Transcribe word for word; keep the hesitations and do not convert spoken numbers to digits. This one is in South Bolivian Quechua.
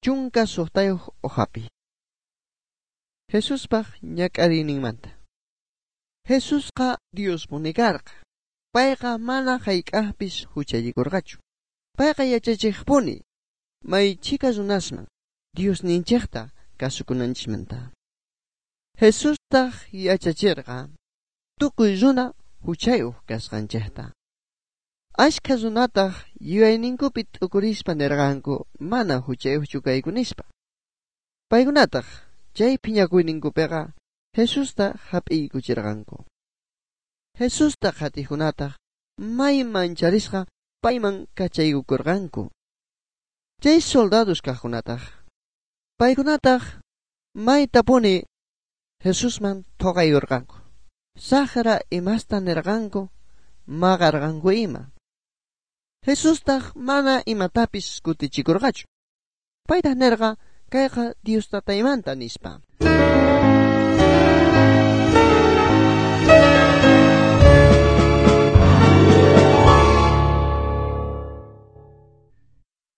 Chunka suqtayuq hojapi. Jesuspaq ñak'ariyninmanta. Jesusqa Diospuni karqa. Payqa mana hayk'aqpis huchallikurqachu. Payqa yachachiqpuni may chhika runasman Diosninchikta kasukunanchismanta. Jesustaq yachachirqa tukuy runa huchayuq kasqanchikta. Ashkha runataq yuyayninkupi t'ukurispa nirqanku mana huchayuqchu kayku nispa. Paykunataq chay phiñakuyninkupiqa Jesusta hap'iykuchirqanku. Jesusta qhatiqkunataq may mancharisqa payman kachaykukurqanku. Chay soldados kaqkunataq paykunataq maytapuni Jesusman thoqaykurqanku. Saqra imasta nirqanku maqarqanku ima. Jesustaq mana imatapis kutichikurqachu. Paytaq nirqa kayqa Dios tataymanta nispa.